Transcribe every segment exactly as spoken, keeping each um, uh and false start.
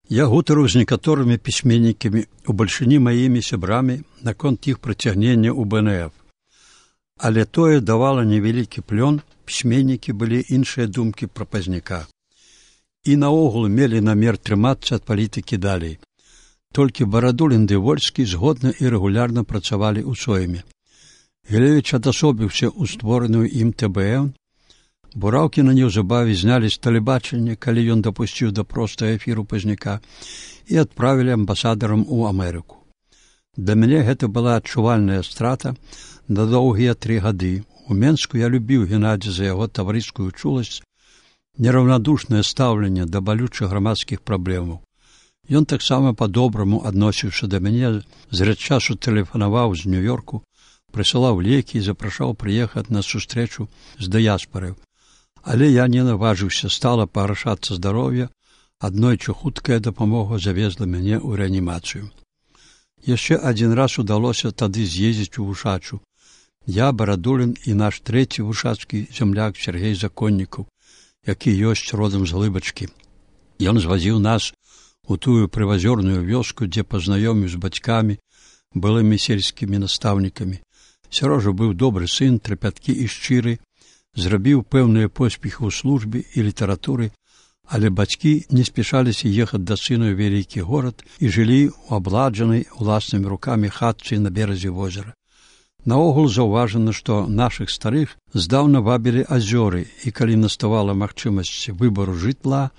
Я гутарыў з некаторымі пісьменнікамі, у бальшыні маімі сябрамі, наконт іх прыцягнення ў бэ эн эф. Але тое давала невялікі плён, пісьменнікі былі іншыя думкі пра Пазняка. І наогул мелі намер трымацца ад палітыкі далей. Толькі Барадулін ды Вольскі згодна і рэгулярна працавалі ў сойме. Гілевіч адасобіўся ў створаную ім тэ бэ эн. Бураўкіна неўзабаве знялі з тэлебачання, калі ён дапусціў да простага эфіру Пазняка, і адправілі амбасадарам у Амерыку. Для мяне гэта была адчувальная страта на доўгія тры гады. У Менску я любіў Геннадзя за яго таварыскую чуласць, нераўнадушнае стаўленне да балючых грамадскіх праблемаў. Ён таксама па-добраму адносіўся да мяне, зрэд часу тэлефанаваў з Нью-Йорку, прысылаў лекі і запрашаў прыехаць на сустрэчу з дыяспарай. Але я не наважыўся, стала пагаршацца здароўе, аднойчы хуткая дапамога завезла мяне ў рэанімацыю. Яшчэ адзін раз удалося тады з'ездзіць у Вушачу. Я, Барадулін і наш трэці вушацкі зямляк Сергей Законнікаў, які ёсць родам з Глыбачкі. Ён звазіў нас у тую прывазёрную вёску, дзе пазнаёміў з бацькамі, былымі сельскімі настаўнікамі. Сярожа быў добры сын, трапяткі і шчыры, зрабіў пэўныя поспехі ў службе і літаратуры, але бацькі не спяшаліся ехаць да сына ў вялікі горад і жылі ў абладжанай уласнымі рукамі хатцы на беразе возера. Наогул заўважана, што нашых старых здаўна вабілі азёры, і калі наставала магчымасць выбару жытла,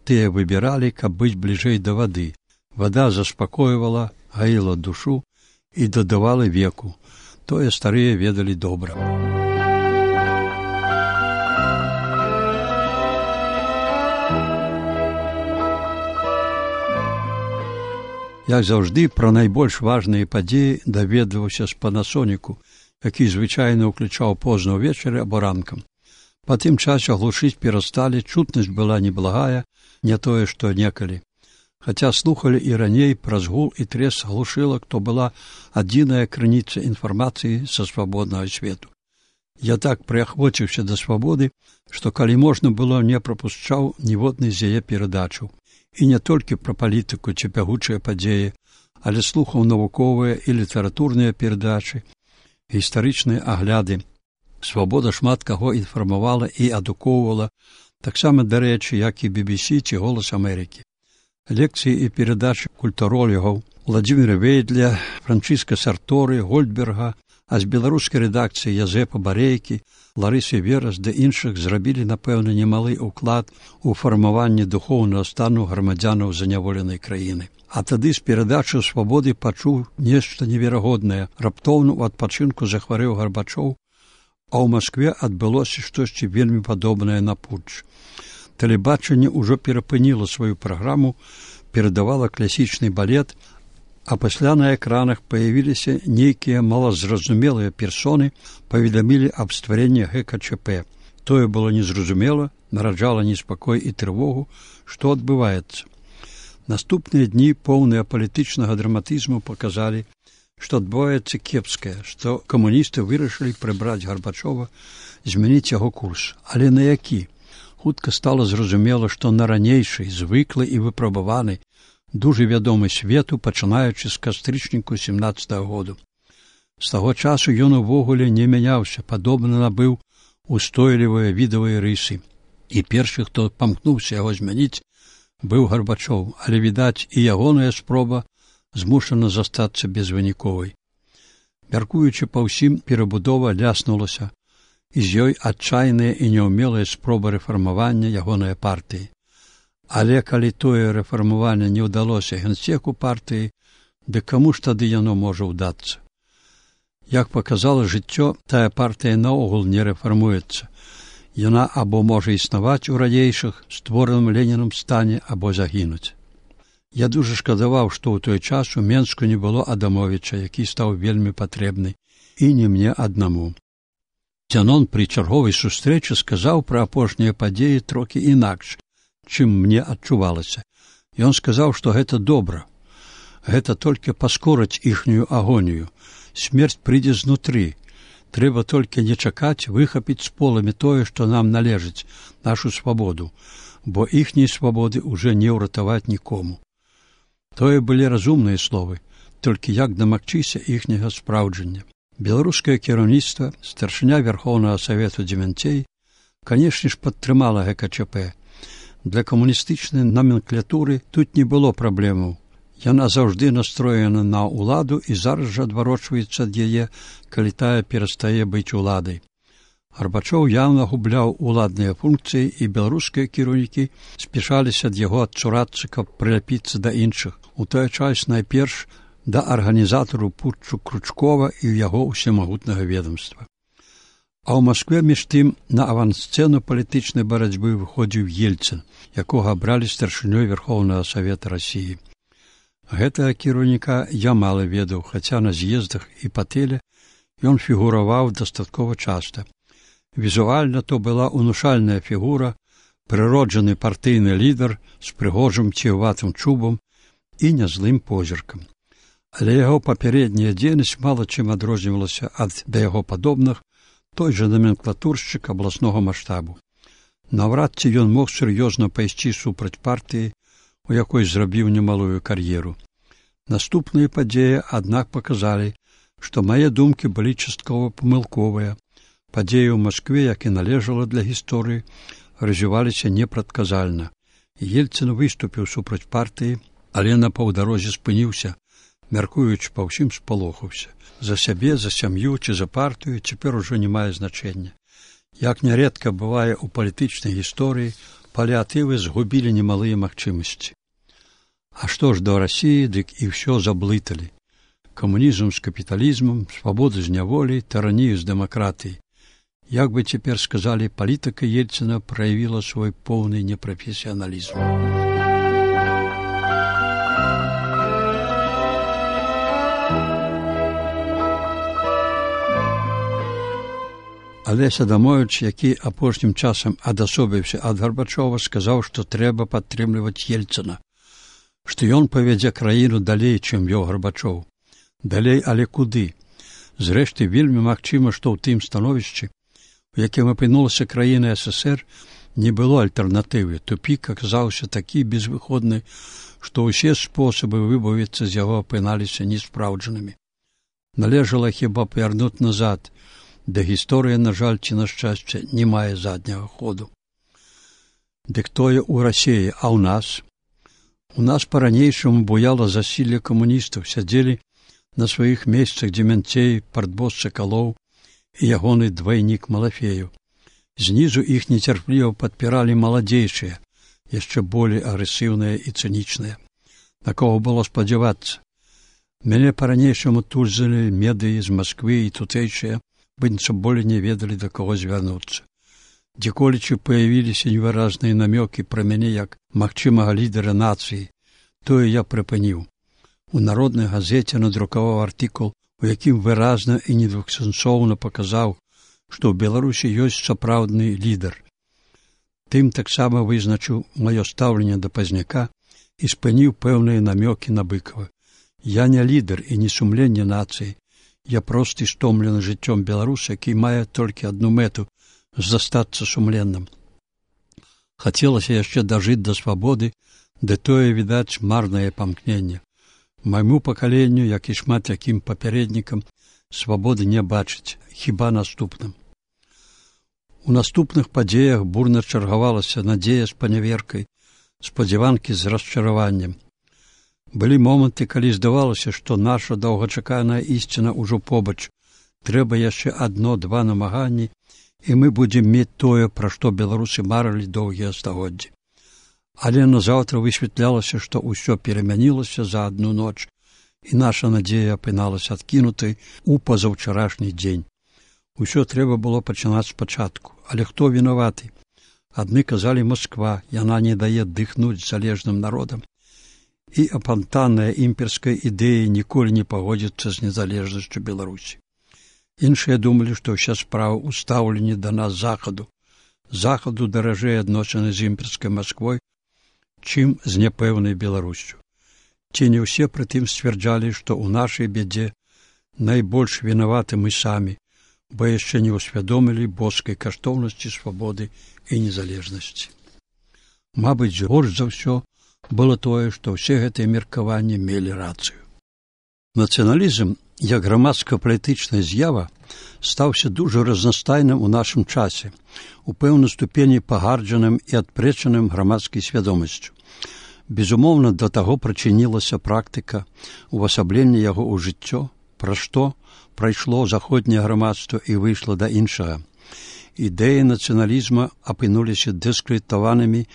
тыя выбіралі, каб быць бліжэй да вады. Вада заспакойвала, гаіла душу і дадавала веку. Тое старыя ведалі добра. Як заўжды, пра найбольш важныя падзеі даведваўся з Панасоніку, які звычайна ўключаў позна ўвечары або ранкам. Па тым часе глушыць перасталі, чутнасць была неблагая, не тое, што некалі. Хаця слухалі і раней праз гул і трес глушылак, то была адзіная крыніца інфармацыі са свабоднага свету. Я так прыахвоціўся да свабоды, што калі можна было, не прапушчаў ніводнай з яе перадачаў. І не толькі пра палітыку ці бягучыя падзеі, але слухаў навуковыя і літаратурныя перадачы, гістарычныя агляды. Свабода шмат каго інфармавала і адукоўвала, таксама, дарэчы, як і би би сі ці Голас Амерыкі. Лекцыі і перадачы культуролігаў Владзіміра Вейдля, Франчыска Сарторы, Гольдберга, а з беларускай рэдакцыі Язэпа Барейкі, Ларысы Верас да іншых зрабілі, напэўна, немалы ўклад у фармаванне духоўнага стану грамадзянаў заняволенай краіны. А тады з перадачы свабоды пачуў нешта неверагоднае. Раптоўна ў адпачынку захварэў Гарбачоў, а ў Маскве адбылося штосьці вельмі падобнае на путч. Тэлебачанне ўжо перапыніла сваю праграму, перадавала класічны балет, а пасля на экранах паявіліся нейкія малазразумелыя персоны, паведамілі аб стварэнні гэ ка чэ пэ. Тое было незразумела, нараджала неспакой і трывогу, што адбываецца. Наступныя дні, поўныя палітычнага драматызму, паказалі, што адбываецца кепскае, што камуністы вырашылі прыбраць Гарбачова, змяніць яго курс. Але на які? Хутка стала зразумела, што на ранейшай, звыклы і выпрабаваны, дужа вядомы свету, пачынаючы з кастрычніку сямнаццатага году. З таго часу ён увогуле не мяняўся, падобна набыў устойлівыя відавыя рысы. І першы, хто памкнуўся яго змяніць, быў Гарбачоў, але, відаць, і ягоная спроба змушана застацца безвыніковай. Мяркуючы па ўсім, перабудова ляснулася, і з ёй адчайная і няўмелая спроба рэфармавання ягонай партыі. Але калі тое рэфармаванне не ўдалося генсеку партыі, дык каму ж тады яно можа ўдацца? Як паказала жыццё, тая партыя наогул не рэфармуецца. Яна або можа існаваць у ранейшых, створаным Ленінам стане, або загінуць. Я дужа шкадаваў, што ў той час у Менску не было Адамовіча, які стаў вельмі патрэбны, і не мне аднаму. Зянон пры чарговай сустрэчы сказаў пра апошнія падзеі трохі інакш, чым мне адчувалася. Ён сказаў, што гэта добра. Гэта толькі паскорыць іхнюю агонію. Смерць прыйдзе знутры. Трэба толькі не чакаць выхапіць з поламі тое, што нам належыць, нашу свабоду, бо іхняй свабоды ўжо не ўратаваць нікому. Тое былі разумныя словы, толькі як дамагчыся іхняга спраўджання. Беларускае кіраўніцтва, старшыня Верхоўнага Савету Дземянцей, канешне ж, падтрымала гэ ка чэ пэ. Для камуністычнай номенклатуры тут не было праблемаў. Яна заўжды настроена на ўладу і зараз жа адварочваецца ад яе, калі тая перастае быць уладай. Гарбачоў яўна губляў уладныя функцыі, і беларускія кіраўнікі спяшаліся ад яго адцурацца, каб прыляпіцца да іншых, у той час найперш да арганізатару путчу Кручкова і яго ўсемагутнага ведомства. А ў Маскве між тым на авансцэну палітычнай барацьбы выходзіў Ельцын, якога абралі старшынёй Верхоўнага Савета Расіі. Гэтага кіраўніка я мала ведаў, хаця на з'ездах і па тэле ён фігураваў дастаткова часта. Візуальна то была унушальная фігура, прыроджаны партыйны лідар з прыгожым ціўватым чубам і нязлым позіркам. Але яго папярэдняя дзейнасць мала чым адрознівалася ад да яго падобных, той жа номенклатуршчык абласнога маштабу. Наўрад ці ён мог сур'ёзна пайсці супраць партыі, у якой зрабіў немалую кар'еру. Наступныя падзеі, аднак, паказалі, што мае думкі былі часткова памылковыя. Падзеі ў Маскве, як і належала для гісторыі, развіваліся непрадказальна. Ельцын выступіў супраць партыі, але на паўдарозе спыніўся, мяркуючы па ўсім спалохаўся. За сябе, за сям'ю ці за партыю цяпер ужо не мае значэння. Як нярэдка бывае ў палітычнай гісторыі, паліатывы згубілі немалыя магчымасці. А што ж да Расіі, дык і ўсё заблыталі. Камунізм з капіталізмам, свабода з няволі, таранію з дэмакратыяй. Як бы цяпер сказалі, палітыка Ельцына праявіла свой поўны непрафесіяналізм. Алесь Адамовіч, які апошнім часам адасобіўся ад Гарбачова, сказаў, што трэба падтрымліваць Ельцына, што ён павядзе краіну далей, чым вёў Гарбачоў. Далей, але куды? Зрэшты, вельмі магчыма, што ў тым становішчы, у якім апынулася краіна эс эс ер, не было альтэрнатывы. Тупік аказаўся такі безвыходны, што ўсе спосабы выбавіцца з яго апыналіся неспраўджанымі. Належала хіба павярнуць назад, да гісторыя, на жаль, ці на шчасце, не мае задняга ходу. Дык тое ў Расіі, а ў нас? У нас па-ранейшаму буяла засілле камуністаў, сядзелі на сваіх месцах Дземянцей, партбос Сакалоў і ягоны двайнік Малафею. Знізу іх нецярпліва падпіралі маладзейшыя, яшчэ болей агрэсіўныя і цынічныя. На кого было спадзявацца? Мяне па-ранейшаму тульзалі медыі з Масквы і тутэйшыя, быццам болей не ведалі, да каго звярнуцца. Дзеколечы паявіліся невыразныя намёкі пра мяне як магчымага лідара нацыі, тое я прыпыніў. У народнай газеце надрукаваў артыкул, у якім выразна і недвухсэнсоўна паказаў, што ў Беларусі ёсць сапраўдны лідар. Тым таксама вызначыў маё стаўленне да Пазняка і спыніў пэўныя намёкі на Быкава. Я не лідар і не сумленне нацыі. Я просты стомлены жыццём беларус, які мае толькі адну мэту – застацца сумленным. Хацелася яшчэ дажыць да свабоды, ды тое, відаць, марнае памкненне. Майму пакаленню, як і шмат якім папярэднікам, свабоды не бачыць, хіба наступным. У наступных падзеях бурна чаргавалася надзея з паняверкай, спадзяванкі з расчараваннем. Былі моманты, калі здавалася, што наша доўгачаканая ісціна ўжо побач. Трэба яшчэ адно-два намаганні, і мы будзем мець тое, пра што беларусы марылі доўгія стагоддзі. Але назаўтра высвятлялася, што ўсё перамянілася за адну ноч, і наша надзея апыналася адкінутай у пазаўчарашні дзень. Усё трэба было пачынаць спачатку. Але хто вінаваты? Адны казалі Масква, яна не дае дыхнуць залежным народам. І апантанная імперская ідэя ніколі не пагодзіцца з незалежнасцю Беларусі. Іншыя думалі, што ўся справа ў стаўленні да нас захаду. Захаду даражэй адносіны з імперскай Масквой, чым з няпэўнай Беларусю. Ці не ўсе прытым сцвярджалі, што ў нашай бядзе найбольш вінаваты мы самі, бо яшчэ не ўсвядомілі боскай каштоўнасці свабоды і незалежнасці. Мабыць, горш за ўсё было тое, што ўсе гэтыя меркаванні мелі рацыю. Нацыяналізм, як грамадска-палітычная з'ява, стаўся дужа разнастайным у нашым часе, у пэўнай ступені пагарджаным і адпрэчаным грамадскай свядомасцю. Безумоўна, да таго прычынілася практыка увасаблення яго ў жыццё, пра што прайшло заходняе грамадства і выйшла да іншага. Ідэі нацыяналізма апынуліся дыскрэдытаванымі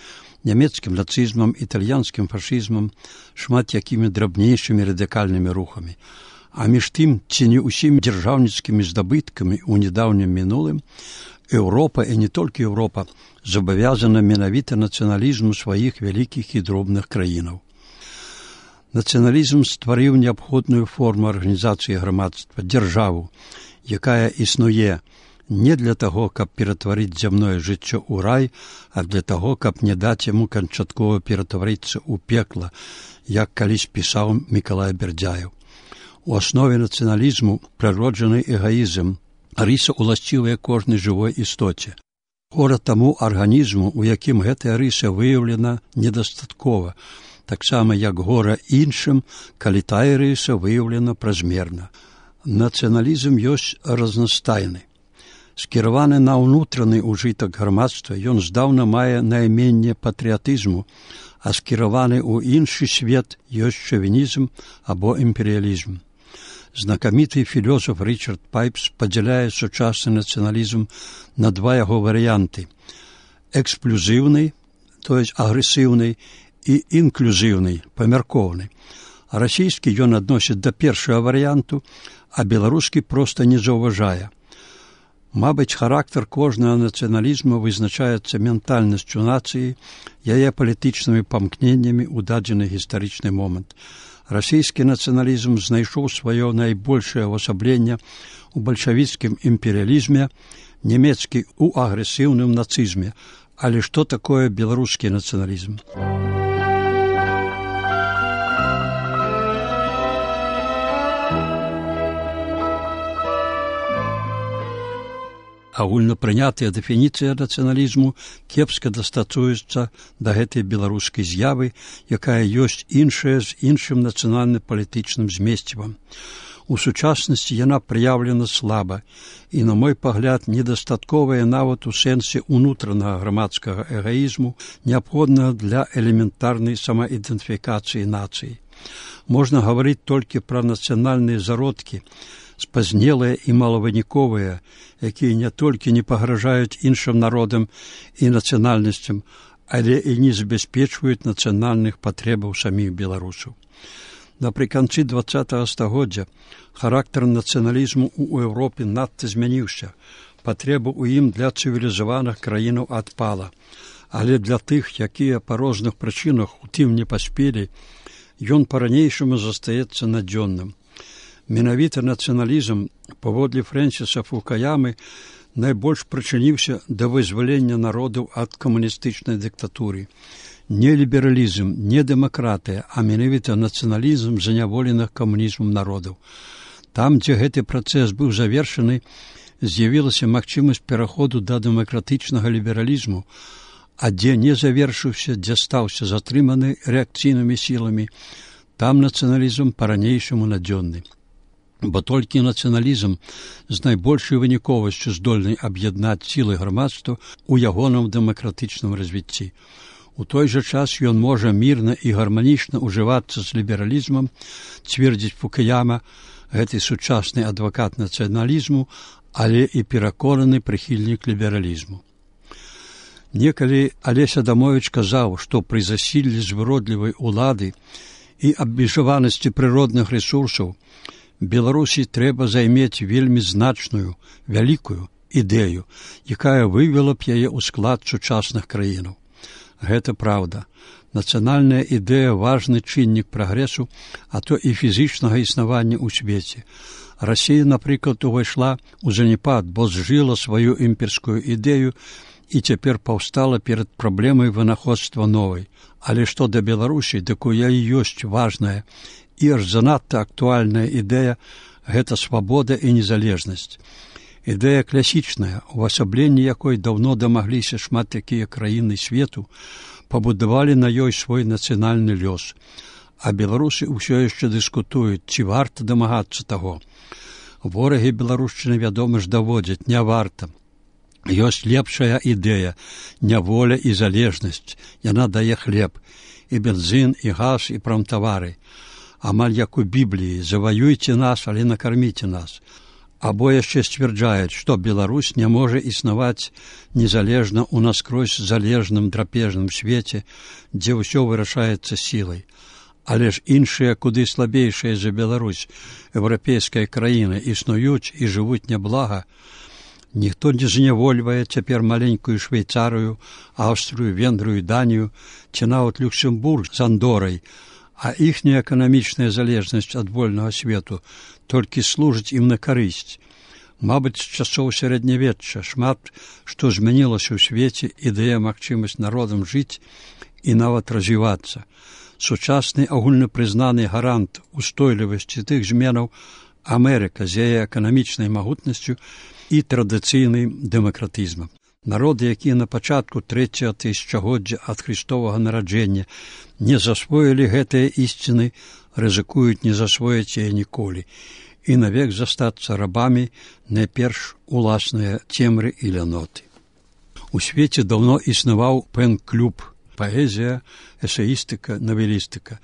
нямецкім нацызмам, італьянскім фашызмам, шмат якімі драбнейшымі радыкальнымі рухамі. А між тым, ці не ўсімі дзяржаўніцкімі здабыткамі ў нядаўнім мінулым, Еўропа, і не толькі Еўропа, забавязана менавіта нацыяналізму сваіх вялікіх і дробных краінаў. Нацыяналізм стварыў неабходную форму арганізацыі грамадства, дзяржаву, якая існуе не для таго, каб ператварыць зямное жыццё ў рай, а для таго, каб не даць яму канчаткова ператварыцца ў пекла, як калісь пісаў Мікалай Бердзяеў. У аснове нацыяналізму прыроджаны эгаізм, рыса уласцівая кожнай жывой істоце. Гора таму арганізму, у якім гэтая рыса выяўлена недастаткова, таксама як гора іншым, калі тая рыса выяўлена празмерна. Нацыяналізм ёсць разнастайны. Скіраваны на ўнутраны ўжытак грамадства, ён здаўна мае найменне патрыятызму, а скіраваны ў іншы свет ёсць шавінізм або імперыялізм. Знакаміты філёзаф Рычард Пайпс падзяляе сучасны нацыяналізм на два яго варыянты – эксплюзіўны, то есть агрэсіўны, і інклюзіўны, памяркоўны. А расійскі ён адносіць да першага варыянту, а беларускі проста не заўважае. Мабыць, характар кожнага нацыяналізму вызначаецца ментальнасцю нацыі, яе палітычнымі памкненнямі ў дадзены гістарычны момант. Расійскі нацыяналізм знайшоў сваё найбольшае ўвасабленне ў бальшавіцкім імперыялізме, нямецкі ў агрэсіўным нацызме. Але што такое беларускі нацыяналізм? Агульнапрынятая дэфініцыя нацыяналізму кепска дастасуецца да гэтай беларускай з'явы, якая ёсць іншая з іншым нацыянальна-палітычным змесцівам. У сучаснасці яна праяўлена слаба і, на мой пагляд, недастатковая нават у сэнсе ўнутранага грамадскага эгаізму, неабходнага для элементарнай самаідэнтыфікацыі нацыі. Можна гаварыць толькі пра нацыянальныя зародкі, спазнелыя і малавыніковыя, якія не толькі не пагражаюць іншым народам і нацыянальнасцям, але і не забяспечваюць нацыянальных патрэбаў саміх беларусаў. Напрыканцы дваццатага стагоддзя характар нацыяналізму ў Еўропе надта змяніўся, патрэба ў ім для цывілізаваных краінаў адпала, але для тых, якія па розных прычынах у тым не паспелі, ён па-ранейшаму застаецца надзённым. Менавіта нацыяналізм, паводле Фрэнсіса Фукуямы, найбольш прычыніўся да вызвалення народаў ад камуністычнай дыктатуры. Не лібералізм, не дэмакратыя, а менавіта нацыяналізм заняволеных камунізмам народаў. Там, дзе гэты працэс быў завершаны, з'явілася магчымасць пераходу да дэмакратычнага лібералізму, а дзе не завершыўся, дзе стаўся затрыманы рэакцыйнымі сіламі, там нацыяналізм па-ранейшаму надзённы. Бо толькі нацыяналізм з найбольшай выніковасцю здольны аб'яднаць сілы грамадства ў ягоным дэмакратычным развіцці. У той жа час ён можа мірна і гарманічна ўжывацца з лібералізмам, цвердзіць Фукуяма, гэты сучасны адвакат нацыяналізму, але і пераконаны прыхільнік лібералізму. Некалі Алесь Адамовіч казаў, што пры засіллі звыродлівай улады і абмежаванасці прыродных рэсурсаў Беларусі трэба займець вельмі значную, вялікую ідэю, якая вывела б яе ў склад сучасных краінаў. Гэта праўда. Нацыянальная ідэя – важны чыннік прагрэсу, а то і фізічнага існавання ў свеце. Расія, напрыклад, увайшла ў заняпад, бо зжыла сваю імперскую ідэю і цяпер паўстала перад праблемай вынаходства новай. Але што да Беларусі, дык у яе ёсць важная і аж занадта актуальная ідэя – гэта свабода і незалежнасць. Ідэя класічная, увасабленне якой даўно дамагліся шмат якія краіны свету, пабудавалі на ёй свой нацыянальны лёс. А беларусы ўсё яшчэ дыскутуюць, ці варта дамагацца таго. Ворагі беларушчыны, вядома ж, даводзяць, не варта. Ёсць лепшая ідэя, няволя і залежнасць. Яна дае хлеб, і бензин, і газ, і прамтавары. Амаль як у Бібліі: заваюйце нас, але накарміце нас. Або яшчэ сцвярджаюць, што Беларусь не можа існаваць незалежна ў наскрозь залежным драпежным свеце, дзе ўсё вырашаецца сілай. Але ж іншыя, куды слабейшыя за Беларусь, еўрапейская краіна, існуюць і жывуць няблага. Ніхто не знявольвае цяпер маленькую Швейцарыю, Аўстрыю, Венгрыю, Данію, ці нават Люксембург з Андорай, а іхняя эканамічная залежнасць ад вольнага свету толькі служыць ім на карысць. Мабыць, з часоў сярэднявечча шмат што змянілася ў свеце і дае магчымасць народам жыць і нават развівацца. Сучасны агульнапрызнаны гарант устойлівасці тых зменаў Амерыка з яе эканамічнай магутнасцю і традыцыйным дэмакратызмам. Народы, якія на пачатку трэцяга тысячагоддзя ад Христовага нараджэння не засвоілі гэтыя ісціны, рызыкуюць не засвоіць яе ніколі і навек застацца рабамі найперш уласныя цемры і ляноты. У свеце даўно існаваў пэн-клуб, паэзія, эсеістыка, навелістыка.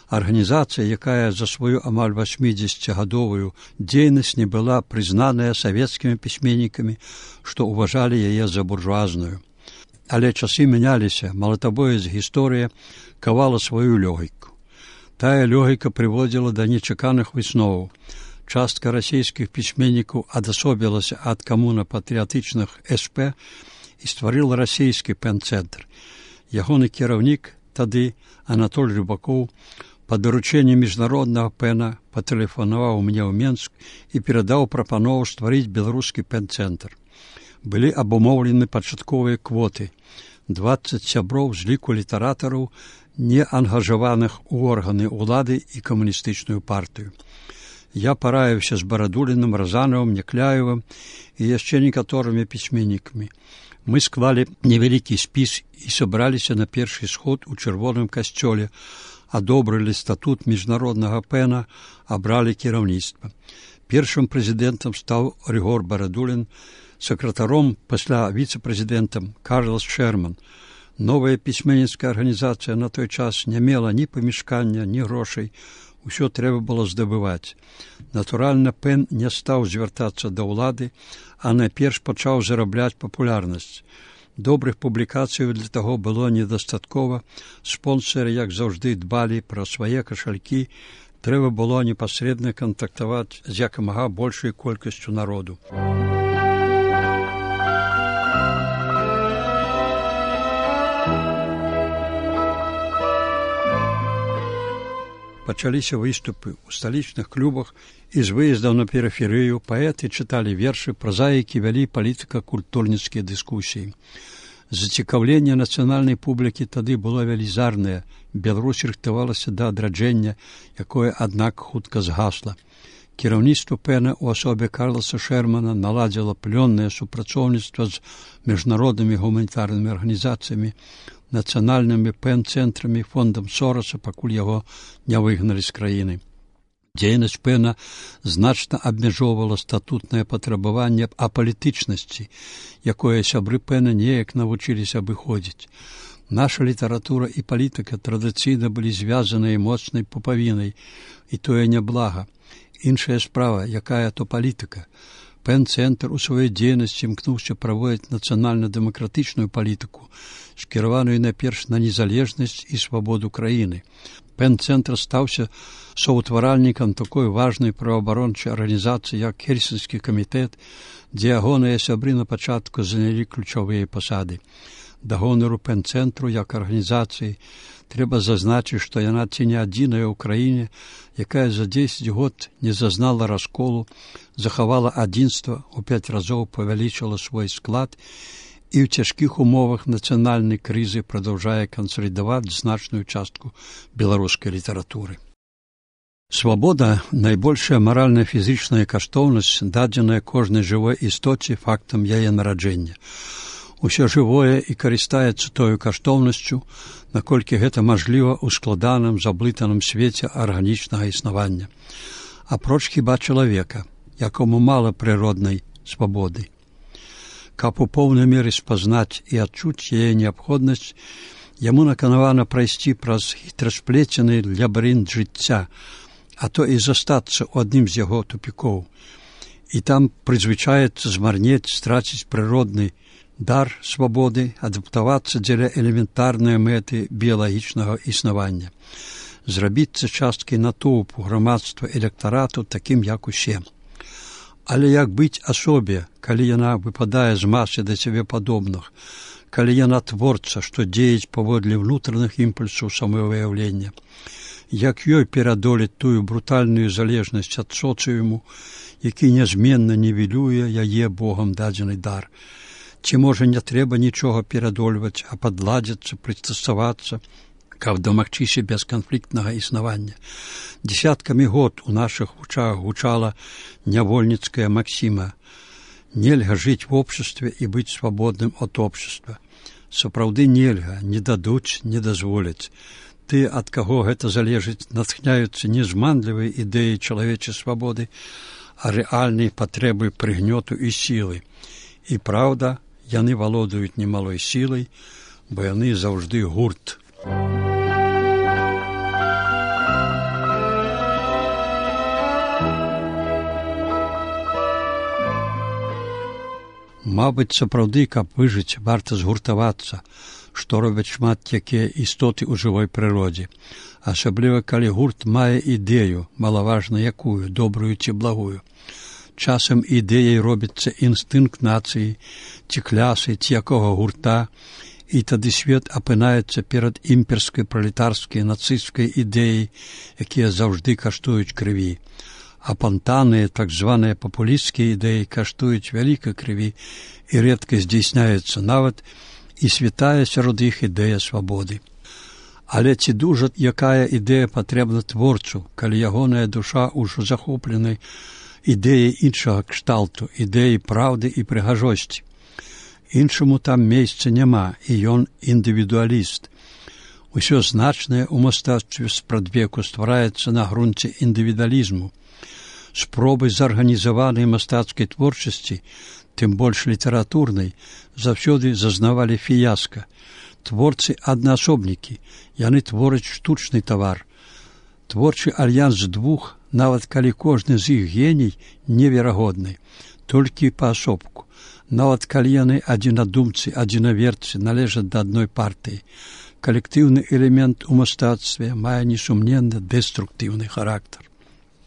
Арганізацыя, якая за сваю амаль васьмідзесяцігадовую дзейнасць не была прызнаная савецкімі пісьменнікамі, што ўважалі яе за буржуазную. Але часы мяняліся, малатабоец гісторыя кавала сваю лёгіку. Тая лёгіка прыводзіла да нечаканых высноваў. Частка расійскіх пісьменнікаў адасобілася ад камуна-патрыятычных эс пэ і стварыла расійскі пэн-цэнтр. Ягоны кіраўнік тады, Анатоль Рыбакоў, па даручэнні міжнароднага пэна патэлефанаваў мне ў Менск і перадаў прапанову стварыць беларускі пэн-цэнтр. Былі абумоўлены пачатковыя квоты. дваццаць сяброў з ліку літаратараў, не ангажаваных у органы ўлады і камуністычную партыю. Я параіўся з Барадуліным, Разанавым, Някляевым і яшчэ некаторымі пісьменнікамі. Мы склалі невялікі спіс і сабраліся на першы сход у чырвоным касцёле, адобрылі статут міжнароднага пэна, абралі кіраўніцтва. Першым прэзідэнтам стаў Рыгор Барадулін, сакратаром, пасля віцэ-прэзідэнтам Карлас Шерман. Новая пісьменніцкая арганізацыя на той час не мела ні памяшкання, ні грошай. Усё трэба было здабываць. Натуральна, пэн не стаў звяртацца да ўлады, а найперш пачаў зарабляць папулярнасць. Добрых публікацый для таго было недастаткова. Спонсары, як заўжды, дбалі пра свае кашалькі. Трэба было непасрэдна кантактаваць з якамага большай колькасцю народу. Пачаліся выступы ў сталічных клубах і з выездаў на перыферыю паэты чыталі вершы, празаікі вялі палітыка-культурніцкія дыскусіі. Зацікаўленне нацыянальнай публікі тады было велізарнае. Беларусь рыхтавалася да адраджэння, якое, аднак, хутка згасла. Кіраўніцтва пэна ў асобе Карласа Шермана наладзіла плённае супрацоўніцтва з міжнароднымі гуманітарнымі арганізацыямі, нацыянальнымі пэн-цэнтрамі, фондам Сораса, пакуль яго не выгналі з краіны. Дзейнасць пэна значна абмяжоўвала статутнае патрабаванне апалітычнасці, якое сябры пэна неяк навучыліся абыходзіць. Наша літаратура і палітыка традыцыйна былі звязаныя моцнай пупавінай, і тое няблага. Іншая справа, якая то палітыка. Пэн-цэнтр у сваёй дзейнасці імкнуўся праводзіць нацыянальна-дэмакратычную палітыку, скіраваную найперш на незалежнасць і свабоду краіны. Пэн-цэнтр стаўся соўтваральнікам такой важнай праваабарончай арганізацыі, як Хельсінскі камітэт, дзе ягоныя сябры на пачатку занялі ключовыя пасады. Да гонару пэн-цэнтру як арганізацыі трэба зазначыць, што яна ці не адзіная ў краіне, якая за дзесяць год не зазнала расколу, захавала адзінства, у пяць разоў павялічыла свой склад і ў цяжкіх умовах нацыянальнай крызы прадаўжае кансалідаваць значную частку беларускай літаратуры. Свабода – найбольшая маральна-фізічная каштоўнасць, дадзеная кожнай жывой істоце фактам яе нараджэння. Усё жывое і карыстаецца тою каштоўнасцю, наколькі гэта мажліва ў складаным, заблытаным свеце арганічнага існавання. Апроч хіба чалавека, якому мала прыроднай свабоды. Каб у поўнай меры спазнаць і адчуць яе неабходнасць, яму наканавана прайсці праз хітрасплецены лабірынт жыцця, а то і застацца ў адным з яго тупікоў. І там прызвычаецца змарнець, страціць прыродны дар свабоды, адаптавацца дзеля элементарнай мэты біялагічнага існавання, зрабіцца часткай натоўпу грамадства электарату такім, як усе. Але як быць асобе, калі яна выпадае з масы да сябе падобных, калі яна творца, што дзеяць паводле ўнутраных імпульсаў самавыяўлення, як ёй перадолець тую брутальную залежнасць ад соцыуму, які нязменна нівелюе яе Богам дадзены дар. Ці, можа, не трэба нічога перадольваць, а падладзіцца, прыстасавацца, каб дамагчыся бесканфліктнага існавання. Дзесяткамі год у нашых вучах гучала нявольніцкая максіма: нельга жыць в обществе і быць свабодным ад общества. Сапраўды нельга, не дадуць, не дазволяць. Ты, ад каго гэта залежыць, натхняюцца не зманлівай ідэі чалавечай свабоды, а рэальнай патрэбы прыгнёту і сілы. І праўда, яны валодаюць немалой сілай, бо яны заўжды гурт. Мабыць, сапраўды, каб выжыць, варта згуртавацца, што робяць шмат якія істоты ў жывой прыродзе. Асабліва, калі гурт мае ідэю, малаважна якую, добрую ці благую. Часам ідэяй робіцца інстынкт нацыі, ці клясы, ці якога гурта, і тады свет апынаецца перад імперскай, пралетарскай, нацысцкай ідэяй, якія заўжды каштуюць крыві. Апантаныя, так званыя папулісцкія ідэі каштуюць вялікай крыві і рэдка здзейсняецца нават і святая сярод іх ідэя свабоды. Але ці дужа якая ідэя патрэбна творцу, калі ягоная душа ўжо захопленай ідэяй іншага кшталту, ідэяй праўды і прыгажосці. Іншаму там месца няма, і ён індывідуаліст. Усё значнае ў мастацтве спрадвеку ствараецца на грунце індывідуалізму. Спробы зарганізаванай мастацкай творчасці, тым больш літаратурнай, заўсёды зазнавалі фіяска. Творцы аднаасобнікі, яны твораць штучны тавар. Творчы альянс двух, нават калі кожны з іх геній неверагодны, толькі паасобку. Нават калі яны адзінадумцы, адзінаверцы, належаць да адной партыі. Калектыўны элемент у мастацтве мае несумненна дэструктыўны характар.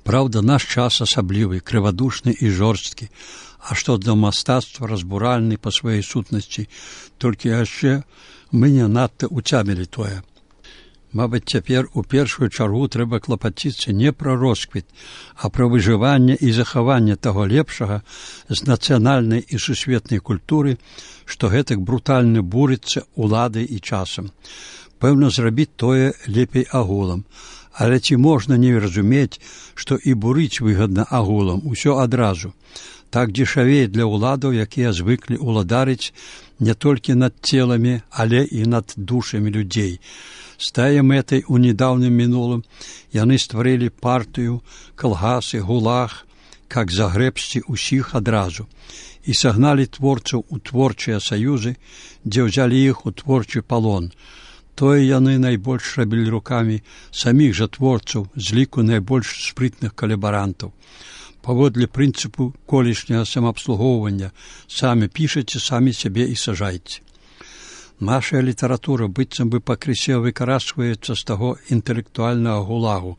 Праўда, наш час асаблівы, крывадушны і жорсткі, а што для мастацтва разбуральны па сваёй сутнасці, толькі яшчэ мы не надта уцямілі тое. Мабыць, цяпер у першую чаргу трэба клапаціцца не пра росквіт, а пра выжыванне і захаванне таго лепшага з нацыянальнай і сусветнай культуры, што гэтак брутальна бурыцца уладай і часам. Пэўна, зрабіць тое лепей агулам. Але ці можна не разумець, што і бурыць выгадна агулам, усё адразу. Так дзешавей для ўладаў, якія звыклі ўладарыць не толькі над целамі, але і над душамі людзей. З тае мэтай у недаўнім мінулым яны стварылі партыю, калгасы, гулаг, как загрэбсці ўсіх адразу, і сагналі творцаў у творчыя саюзы, дзе ўзялі іх у творчы палон. Тое яны найбольш рабілі рукамі саміх жа творцаў з ліку найбольш спрытных калабарантаў. Паводле прынцыпу колішняга самаабслугоўвання самі пішаце, самі сябе і сажайце. Наша літаратура быццам бы пакрысе выкарачваецца з таго інтэлектуальнага гулагу,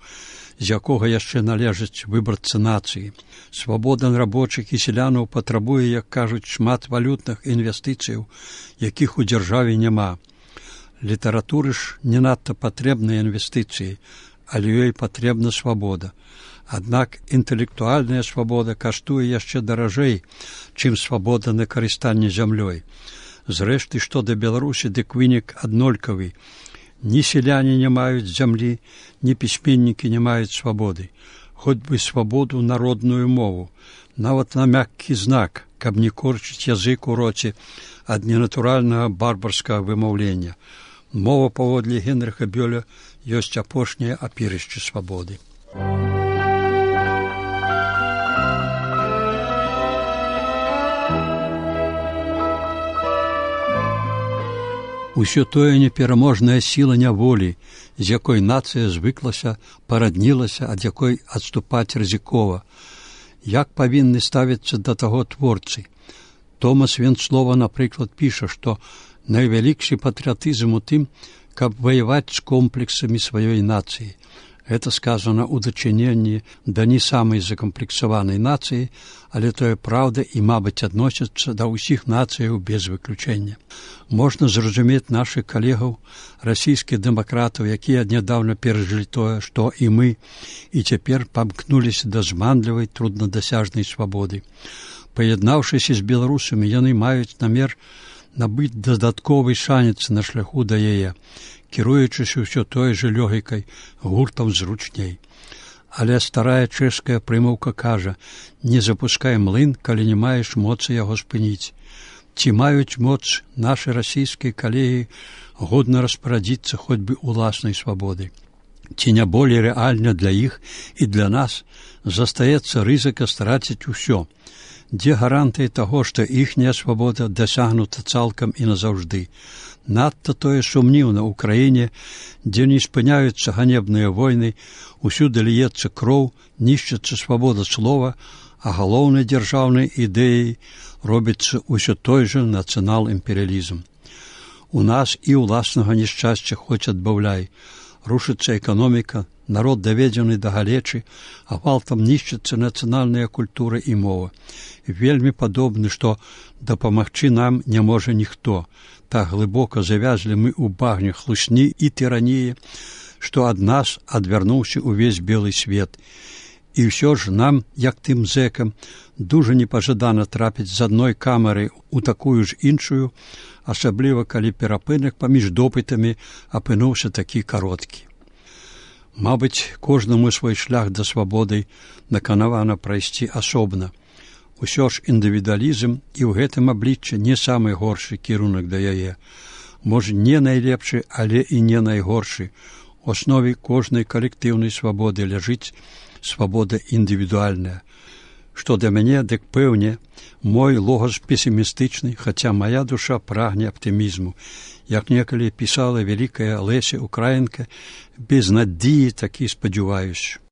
з якога яшчэ належыць выбарцы нацыі. Свабода рабочых і селянаў патрабуе, як кажуць, шмат валютных інвестыцыяў, якіх у дзяржаве няма. Літаратуры ж не надта патрэбныя інвестыцыі, але ёй патрэбна свабода. Аднак інтэлектуальная свабода каштуе яшчэ даражэй, чым свабода на карыстанне зямлёй. Зрэшты, што да Беларусі, дык вынік аднолькавы. Ні селяне не маюць зямлі, ні пісьменнікі не маюць свабоды. хоць бы свабоду народную мову, нават на мяккі знак, каб не корчыць язык у роце ад ненатуральнага барбарскага вымаўлення. Мова, паводле Генрыха Бёля, ёсць апошняе апірышча свабоды. Усё тое непераможная сіла няволі, з якой нацыя звыклася, параднілася, ад якой адступаць рызыкова. Як павінны ставіцца да таго творцы? Томас Венцлова, напрыклад, піша, што найвялікшы патрыятызм у тым, каб ваяваць з комплексамі сваёй нацыі. Гэта сказана ў дачыненні да не самай закамплексаванай нацыі, але тое праўда і, мабыць, адносіцца да ўсіх нацыяў без выключэння. Можна зразумець нашых калегаў, расійскіх дэмакратаў, якія нядаўна перажылі тое, што і мы, і цяпер памкнуліся да зманлівай, труднадасяжнай свабоды. Паяднаўшыся з беларусамі, яны маюць намер набыць дадатковы шанец на шляху да яе, кіруючыся ўсё той жа лёгікай, гуртам зручней. Але старая чэшская прымаўка кажа: не запускай млын, калі не маеш моцы яго спыніць. Ці маюць моц нашы расійскія калегі годна распарадзіцца хоць бы уласнай свабодай? Ці не болей рэальна для іх і для нас застаецца рызыка страціць усё? Дзе гарантыі таго, што іхняя свабода дасягнута цалкам і назаўжды? Надта тое сумніўна ў краіне, дзе не спыняюцца ганебныя войны, усюды ліецца кроў, нішчыцца свабода слова, а галоўнай дзяржаўнай ідэяй робіцца ўсё той жа нацыянал-імперыялізм. У нас і ўласнага няшчасця хоць адбаўляй. Рушыцца эканоміка, народ даведзены да галечы, а гвалтам нішчыцца нацыянальная культура і мова. Вельмі падобны, што дапамагчы нам не можа ніхто. Так глыбока завязлі мы ў багне хлусні і тыраніі, што ад нас адвярнуўся ўвесь белы свет. І ўсё ж нам, як тым зэкам, дужа непажадана трапіць з адной камеры ў такую ж іншую, асабліва калі перапынак паміж допытамі апынуўся такі кароткі. Мабыць, кожнаму свой шлях да свабоды наканавана прайсці асобна. Усё ж індывідуалізм і ў гэтым абліччы не самы горшы кірунак да яе. Можа, не найлепшы, але і не найгоршы. У аснове кожнай калектыўнай свабоды ляжыць свабода індывідуальная. Што да мяне, дык пэўне, мой логас песімістычны, хаця мая душа прагне аптымізму. Як некалі пісала вялікая Леся Украінка, без надзеі такі спадзяваюся.